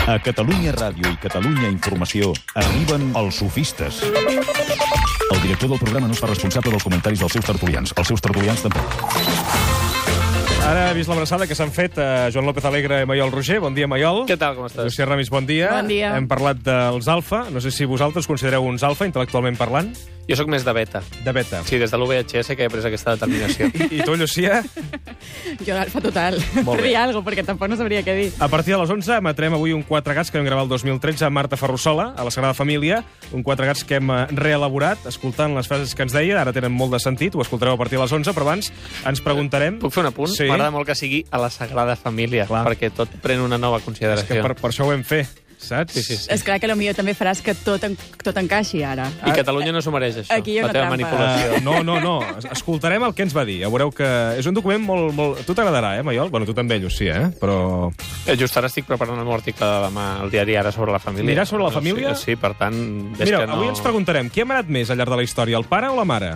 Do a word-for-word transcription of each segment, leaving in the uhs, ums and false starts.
A Catalunya Ràdio i Catalunya Informació arriben els sofistes. El director del programa no es fa responsable dels comentaris dels seus tertulians. Els seus tertulians tampoc. Ara he vist l'abraçada que s'han fet a Joan López Alegre i Maiol Roger. Bon dia, Maiol. Què tal, com estàs? Llucia Ramis, bon dia. Bon dia. Hem parlat dels alfa. No sé si vosaltres considereu uns alfa, intel·lectualment parlant. Jo sóc més de beta. De beta. Sí, des de l'U V H S que he pres aquesta determinació. I, i tu, Llucia? Jo alfa total. Molt bé. Dir alguna cosa, perquè tampoc no sabria què dir. A partir de les onze emetrem avui un Quatre Gats que vam gravar el dos mil tretze amb Marta Ferrusola, a la Sagrada Família. Un Quatre Gats que hem reelaborat, escoltant les frases que ens deia. Ara tenen molt de sentit, ho escoltareu a partir de les onze, però abans ens preguntarem... Puc fer un apunt? Sí. M'agrada molt que sigui a la Sagrada Família, Clar. perquè tot pren una nova És consideració. que per, per això ho hem fet, saps? Sí, sí, sí. És clar que potser també faràs que tot, en, tot encaixi ara. I Catalunya no s'ho mereix, això. Aquí hi ha la una teva trampa. manipulació. Uh, no, no, no. Es- Escoltarem el que ens va dir. Ja veureu que és un document molt... molt... Tu t'agradarà, eh, Maiol? Bueno, tu també, Llucia, eh? Però... Eh, Just ara estic preparant el meu article de demà al diari Ara sobre la família. Miràs sobre la família? Sí, sí, per tant... És Mira, que no... avui ens preguntarem, qui ha manat més al llarg de la història, el pare o la mare?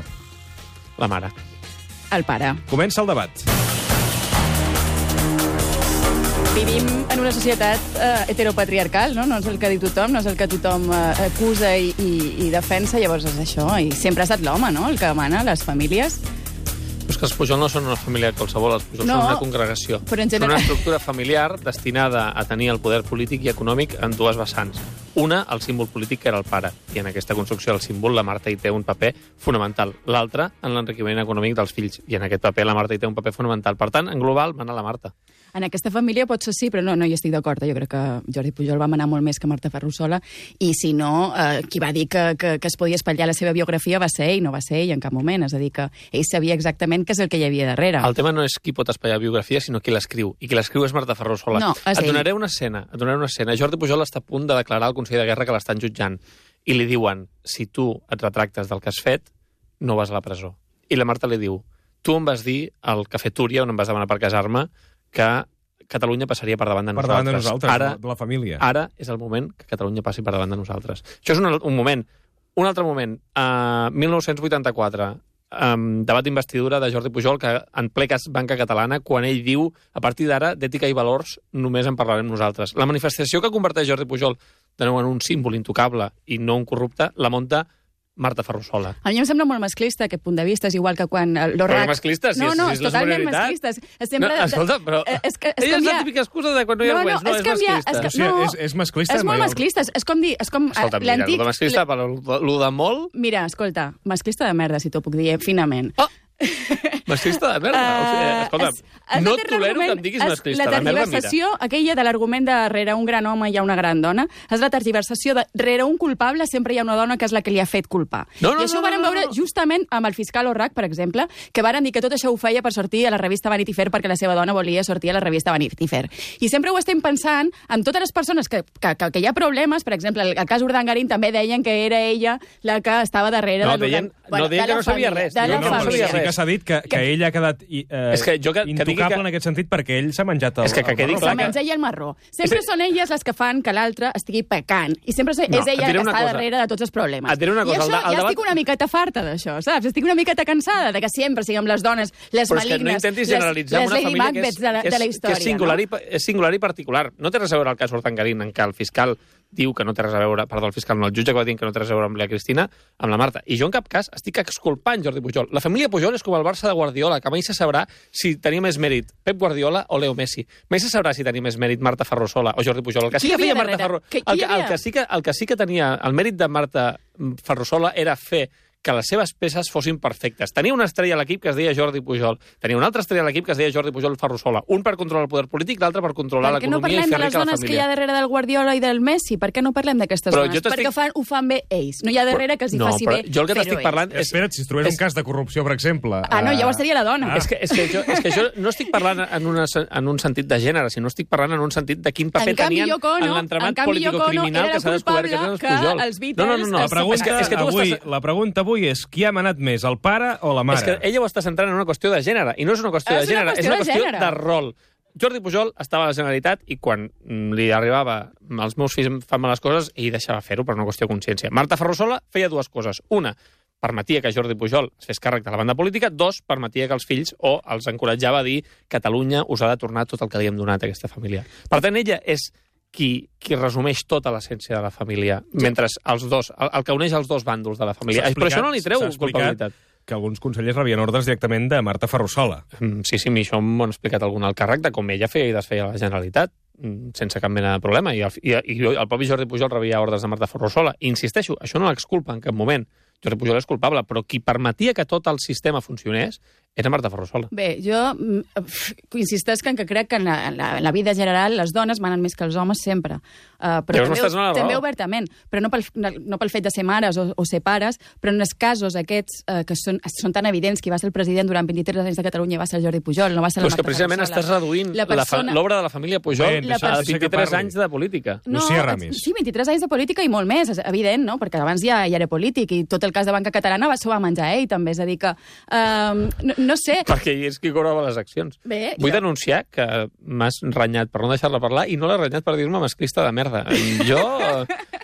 La mare. El pare. Comença el debat. Vivim en una societat eh, heteropatriarcal, no? No és el que diu tothom, no és el que tothom eh, acusa i, i, i defensa, llavors és això. I sempre ha estat l'home, no?, el que mana les famílies. És que els Pujol no són una família qualsevol, els Pujol No, són una congregació. però en Són general- una estructura familiar destinada a tenir el poder polític i econòmic en dues vessants. Una, el símbol polític, que era el pare, i en aquesta construcció el símbol, la Marta hi té un paper fonamental. L'altra, en l'enriquiment econòmic dels fills, i en aquest paper la Marta hi té un paper fonamental. Per tant, en global, mana la Marta. En aquesta família potser sí, però no, no hi estic d'acord. Jo crec que Jordi Pujol va manar molt més que Marta Ferrusola, i si no, eh, qui va dir que, que, que es podia espatllar la seva biografia va ser ell, no va ser ell en cap moment. És a dir, que ell sabia exactament què és el que hi havia darrere. El tema no és qui pot espatllar biografia, sinó qui l'escriu. I qui l'escriu és Marta Ferrusola. No, és et ell. donaré una escena, et donaré una escena. Jordi Pujol està a punt de declarar al Consell de Guerra que l'estan jutjant. I li diuen, si tu et retractes del que has fet, no vas a la presó. I la Marta li diu, tu em vas dir al Cafè Túria, on em vas demanar per casar-me, que Catalunya passaria per davant de Per nosaltres. davant de nosaltres, Ara, de la família. Ara és el moment que Catalunya passi per davant de nosaltres. Això és un, un moment. Un altre moment, uh, mil nou-cents vuitanta-quatre, um, debat d'investidura de Jordi Pujol, que en ple cas Banca Catalana, quan ell diu, a partir d'ara, d'ètica i valors, només en parlarem nosaltres. La manifestació que converteix Jordi Pujol de nou en un símbol intocable i no un corrupte, la munta Marta Ferrusola. A mi em sembla molt masclista aquest punt de vista, és igual que quan eh, Però l'Orrac... que masclista, si no, és- no, si és és la totalment superioritat. masclista. És, és sempre... No, escolta, però... Eh, És, que, és Ella és canviar... la típica excusa de quan no hi ha No, no, arguments. No, és és canviar- masclista. és que- Llucia, no. és, és masclista, És molt Maiol? masclista, és, és com dir... És com eh, Escolta, mira, l'antic... lo de masclista, però lo de molt... Mira, escolta, masclista de merda, si t'ho puc dir, eh, finament. Oh! Masclista de merda. O sigui, Eh, escolta, es- es no va fer tolero que l'argument- em diguis es- masclista. La La merda, mira. tergiversació, aquella de l'argument de rere un gran home hi ha una gran dona, és la tergiversació de rere un culpable sempre hi ha una dona que és la que li ha fet culpar. No, no, I això no, ho vàrem no, no, veure no. justament amb el fiscal Orrac, per exemple, que varen dir que tot això ho feia per sortir a la revista Vanity Fair perquè la seva dona volia sortir a la revista Vanity Fair. I sempre ho estem pensant amb totes les persones que, que, que, que hi ha problemes, per exemple, el, el cas Urdangarín també deien que era ella la que estava darrere No, de l'Urdan- deien- no deien de que la no sabia família, res, de deien la que no família. sabia Sí que res. s'ha dit que, que ell ha quedat i, eh, És que jo que- que digui intocable que- en aquest sentit perquè ell s'ha menjat el, És que- que el quedi marró. clar Se que- menja ella el marró. Sempre És- són elles les que fan que l'altre estigui pecant. I sempre és, No, és et ella diré que una està cosa. darrere de tots els problemes. Et diré una cosa, I això el de- el ja debat- estic una miqueta farta d'això, saps? Estic una miqueta cansada de que sempre siguem les dones, les Però és que no malignes, intentis les, generalitzar les una Lady família que és, Macbeths de, la, que és, de la història. que és, singular no? i, pa- és singular i particular. No té res a veure el cas Urdangarín, en què el fiscal diu que no té res a veure, perdó, el fiscal no, el jutge que va dir que no té res a veure amb la Cristina, amb la Marta. I jo en cap cas estic exculpant Jordi Pujol. La família Pujol és com el Barça de Guardiola, que mai se sabrà si tenia més mèrit Pep Guardiola o Leo Messi. Mai se sabrà si tenia més mèrit Marta Ferrusola o Jordi Pujol. El que sí Qui que hi feia havia Marta darrere? Ferrusola... Que- qui El, hi que- el, havia? que sí que, el que sí que tenia... El mèrit de Marta Ferrusola era fer que les seves peces fossin perfectes. Tenia una estrella a l'equip que es deia Jordi Pujol. Tenia una altra estrella a l'equip que es deia Jordi Pujol Ferrusola. Un per controlar el poder polític, l'altre per controlar Per què no l'economia i parlem fer de les rica la dones que hi família. ha darrere del Guardiola i del Messi? Per què no parlem d'aquestes Però dones? jo t'estic- Perquè fan, ho fan bé ells. No hi ha darrere que els hi no, faci però bé jo el que fer-ho t'estic ells. parlant és... Espera't, si es trobés és- un cas de corrupció, per exemple... Ah, no, eh, llavors seria la dona. Ah. És, que, és, que jo, és que jo no estic parlant en, una, en un sentit de gènere, sinó estic parlant en un sentit de quin paper En canvi, tenien Yoko Ono- en l'entramat en canvi, Yoko Ono político-criminal era que s'ha descobert que culpable tenen els Pujol. que els Beatles no, no, no, no. La es pregunta, és que, és que tu avui, estàs... la pregunta avui és qui ha manat més, el pare o la mare? És que ella ho està centrant en una qüestió de gènere, i no és una qüestió És de una gènere, és qüestió una de qüestió gènere. de rol. Jordi Pujol estava a la Generalitat i quan mm, li arribava els meus fills fan males coses, ell deixava fer-ho per una qüestió de consciència. Marta Ferrusola feia dues coses. Una, permetia que Jordi Pujol es fes càrrec de la banda política. Dos, permetia que els fills o els encoratjava a dir Catalunya us ha de tornar tot el que li hem donat a aquesta família. Per tant, ella és qui, qui resumeix tota l'essència de la família, mentre els dos, el, el que uneix els dos bàndols de la família. Però això no li treu culpabilitat. Que alguns consellers rebien ordres directament de Marta Ferrusola. Mm, sí, sí, a mi això m'ho han explicat algun alt càrrec de com ella feia i desfeia la Generalitat, sense cap mena de problema. I el, i, i el propi Jordi Pujol rebia ordres de Marta Ferrusola. I insisteixo, això no l'exculpa en cap moment. Jordi Pujol és culpable, però qui permetia que tot el sistema funcionés era Marta Ferrusola. Bé, jo insistesc en que crec que en la, en la, en la vida general les dones manen més que els homes sempre. Uh, però Llavors també, no també obertament. Però no pel, no pel fet de ser mares o, o ser pares, però en els casos aquests uh, que són, són tan evidents, qui va ser el president durant vint-i-tres anys de Catalunya va ser el Jordi Pujol, no va ser la Però és Marta que precisament Ferrusola. estàs reduint l'obra persona... de la família Pujol Bé, a vint-i-tres anys de política. No, Lucía Ramis. Sí, vint-i-tres anys de política i molt més, és evident, no? Perquè abans ja, ja era polític i tot el cas de Banca Catalana va, s'ho va menjar ell, també. És a dir que, um, no, no sé... Perquè és qui cobrava les accions. Bé, Vull jo... denunciar que m'has renyat per no deixar-la parlar i no l'has renyat per dir-me masclista de merda. Jo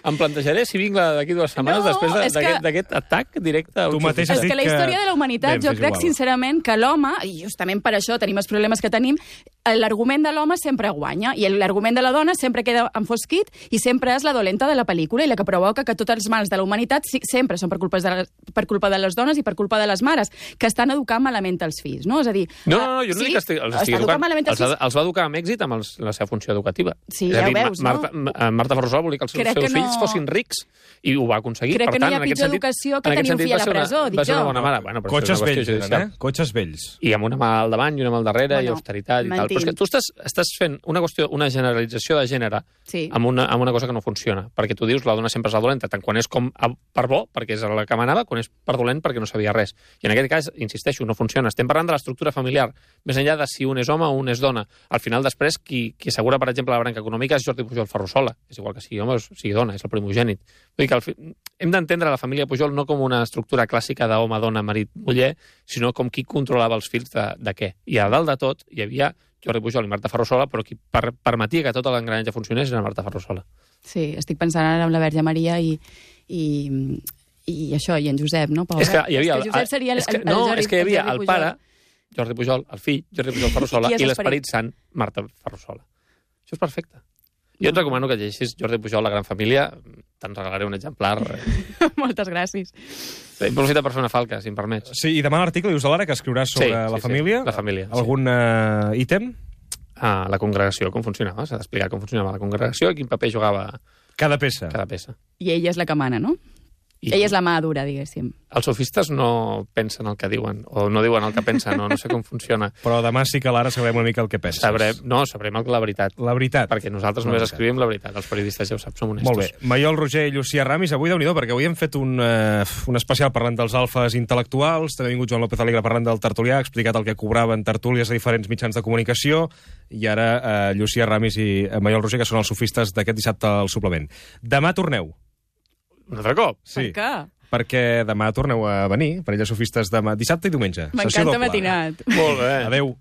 em plantejaré si vinc d'aquí dues setmanes No, després d'aquest que... de, atac directe a Tu mateix has És dit que la història de la humanitat, Bé, jo és crec igual. sincerament que l'home, i justament per això tenim els problemes que tenim, l'argument de l'home sempre guanya i l'argument de la dona sempre queda enfosquit i sempre és la dolenta de la pel·lícula i la que provoca que tots els mals de la humanitat sí, sempre són per culpa, de les, per culpa de les dones i per culpa de les mares, que estan educant malament els fills, no? És a dir... No, no, no, jo no sí, dic que estigui, els estigui està educant. malament els Els, fills. els va educar amb èxit amb els, la seva funció educativa. Sí, és ja a ho dir, veus, Marta, no? Marta Ferrusola volia que els seus, Crec seus que no- fills fossin rics i ho va aconseguir. Crec per que no tant, hi ha en aquest pitjor sentit- educació que en aquest tenir un sentit fill a va la ser una- presó, dic Va ser una jo. bona mare. Bueno, però Cotxes això és una vells, qüestió eren, judicial. eh? Cotxes vells. I amb una mà al davant i una mà al darrere, Bueno, i austeritat i tal. mentint. Però és que tu estàs, estàs fent una qüestió, una generalització de gènere Sí. amb, una, amb una cosa que no funciona. Perquè tu dius la dona sempre és la dolenta, tant quan és com a, per bo, perquè és la que manava, quan és per dolent, perquè no sabia res. I en aquest cas, insisteixo, no funciona. Estem parlant de l'estructura familiar, més enllà de si un és home o un és dona. Al final, després, qui, qui assegura, per exemple, la branca econòmica és Jordi Pujol Ferrusola. És igual que sigui home o sigui dona, és el primogènit. Vull dir que al fi... hem d'entendre la família Pujol no com una estructura clàssica d'home, dona, marit, muller, sinó com qui controlava els fills de, de què. I a dalt de tot hi havia Jordi Pujol i Marta Ferrusola, però qui per, permetia que tot l'engranatge funcionés era Marta Ferrusola. Sí, estic pensant ara en la Verge Maria i, i, i això, i en Josep, no? Pobre. És que hi havia... És que Josep seria el, és que, el, el no, Jordi, és que hi havia el, el Jordi pare, Pujol. Jordi Pujol, el fill, Jordi Pujol Ferrusola, I qui és i l'esperit? l'esperit sant, Marta Ferrusola. Això és perfecte. Jo et recomano que llegeixis Jordi Pujol, La gran família, te'n regalaré un exemplar. Moltes gràcies. Aprofita per fer una falca, si em permets. Sí, i demà l'article dius a l'Ara que escriuràs sobre Sí, sí, la sí, família. la família, sí. Algun uh, ítem? Ah, la congregació, com funcionava. S'ha d'explicar com funcionava la congregació i quin paper jugava Cada peça. cada peça. I ella és la que mana, no? I Ella és la mà dura, diguéssim. Els sofistes no pensen el que diuen, o no diuen el que pensen, no, no sé com funciona. Però demà sí que a l'Ara sabrem una mica el que penses. Sabrem, no, sabrem el, la veritat. La veritat. Perquè nosaltres La només veritat. escrivim la veritat. Els periodistes ja ho saps, som honestos. Molt bé. Maiol Roger i Lucía Ramis, avui déu nhi perquè avui hem fet un, uh, un especial parlant dels alfes intel·lectuals, també ha vingut Joan López Alegre parlant del tertulià, ha explicat el que cobraven tertúlies a diferents mitjans de comunicació, i ara uh, Lucía Ramis i uh, Maiol Roger, que són els sofistes d'aquest dissabte al suplement. Demà torneu. Un altre cop? Sí. Per què? Perquè demà torneu a venir, per elles sofistes demà, dissabte i diumenge. Sessió M'encanta doble. matinat. Molt bé. Adéu.